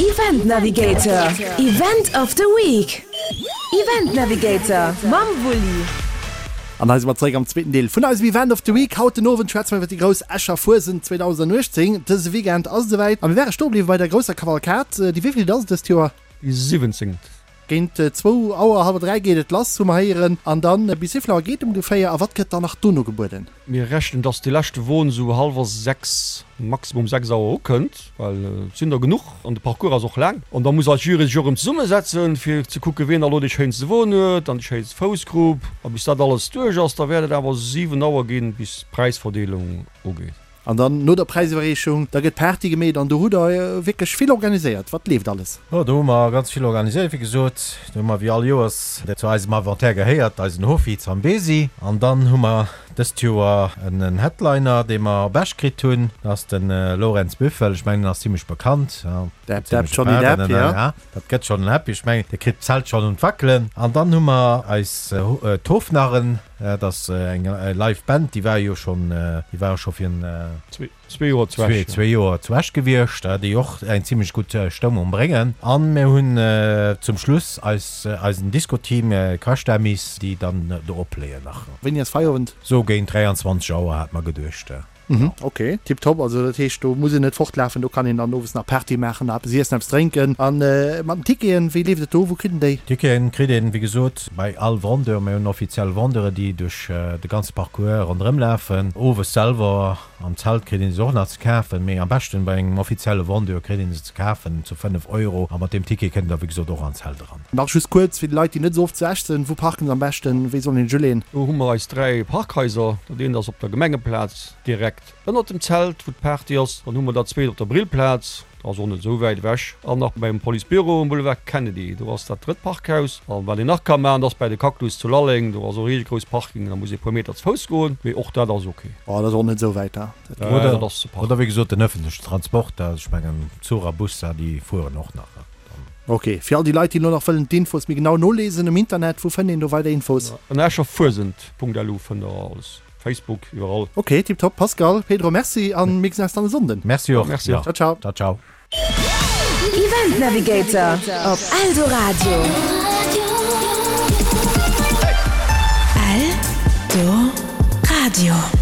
Event Navigator, Event of the Week. Event Navigator mam Wulli. An hei si mer zeréck am zweeten Deel vun eisem Event of the Week. Haut den Owend schwätze mer iwwer déi grouss Escher Fuesent 2018. Dëse Weekend ass et esouwäit a mir ware stoe bliwwe bei der grousser Kavalkad. Déi wéivilt ass et dëst Joer? Déi siwwenzéngt. Géint zwou Auer, hallwer 3 geet et lass, hu mer héieren. An dann bis wéivill Auer geet ongeféier a wat gëtt dann nach dono gebueden? Mir rechnen, dass dee leschte Won esou hallwer 6, maximum 6 Auer ukënnt, well et sinn der genuch an de Parcours ass och laang. An da muss eis Jury sech och erëm zesummesetzen, fir ze kucken, wien da elo dee schéinste Won huet an déi schéinst Foussgrupp. A bis dat alles duerch ass, da wäert et awer 7 Auer ginn, bis d'Präisverdeelung ugeet. An dann no der Präisiwwerreechung, da gëtt Party gemeet an do hutt der wierklech vill organiséiert. Wat leeft alles? Jo, do hu mer ganz vill organiséiert, wéi gesot. Do hu mer wéi all Joers, dat zu eisem Inventaire gehéiert, eisen Hofi Zambezi. An dann hu mer dëst Joer en Headliner, dee mer op Esch kritt hunn. Dat ass de Lorenz Büffel. Ech mengen, en ass zimlech bekannt. Depp, Depp, Johnny Depp, jo. Dat gëtt schonn en Happy. Ech mengen, dee kritt d'Zelt schonn un d'Wackelen. An dann hu mer eis d'Hofnarren. Dat ass eng live Band, déi war jo schonn, déi ware scho fir en. Zwee Joer zu Esch. Zwee Joer zu Esch gewiescht, déi och eng zimlech gutt Stëmmung bréngen. An mir hunn zum Schluss eis, eisen Disco-Team Crash Dummies, déi dann do opléien nach. Wéini ass Feierowend? Sou géint 23 Auer hat mer geduecht. Mhm, ok, tiptop. Also dat heescht, do muss een net fortlafen, do kann een dann owes nach Party maachen, nach eppes iessen, eppes drénken. A mat den Ticketen, wéi leeft et do? Wou kritt een déi? Ticketen kritt een, wéi gesot, bei all Vendeur. Mir hunn offiziell Vendeuren, déi duerch de ganze Parcours ronderëm lafen. Owes selwer am Zelt kritt een se och nach ze kafen, mee am beschten bei engem offizielle Vendeur kritt een se ze kafen zu 5 Euro. A mat deem Ticket kënnt der, wéi gesot, och an d'Zelt eran. Nach just kuerz fir déi Leit, déi net esou oft zu Esch sinn, Wou parken se am beschten? Wéi soll een sech uleeën? Do hu mer eis 3 Parkhaiser. Dat eent ass op der Gemengeplaz direkt ënnert dem Zelt, wou d'Party ass. Dann hu mer dat zweet op der Brillplaz, dat ass och net esou wäit ewech. An nach beim Policebüro um Boulevard Kennedy, do ass dat drëtt Parkhaus. A wat een nach ka maachen, dat ass bäi de Cactus zu Lalleng, do ass och ee grouss Parking, da muss ee puer Meter ze Fouss goen, mee och dat ass ok. Oh, dat ass och net esou wäit da. Oder, oder wéi gesot den ëffentlechen Transport, ech mengen Zuch a Bus, déi fueren och nach. Ok, fir all déi Leit déi elo nach wëllen d'Infos méi genau nolesen um Internet, wou fënnt een do weider Infos? Ënner escherfuesent.lu fënnt der alles, Facebook, iwwerall. Ok, tiptop Pascal, Pedro, merci an mir gesinn eis dann e Sonnden. Merci och. Merci och. Ciao ciao. Ciao ciao. Event Navigator op Eldoradio. Eldoradio.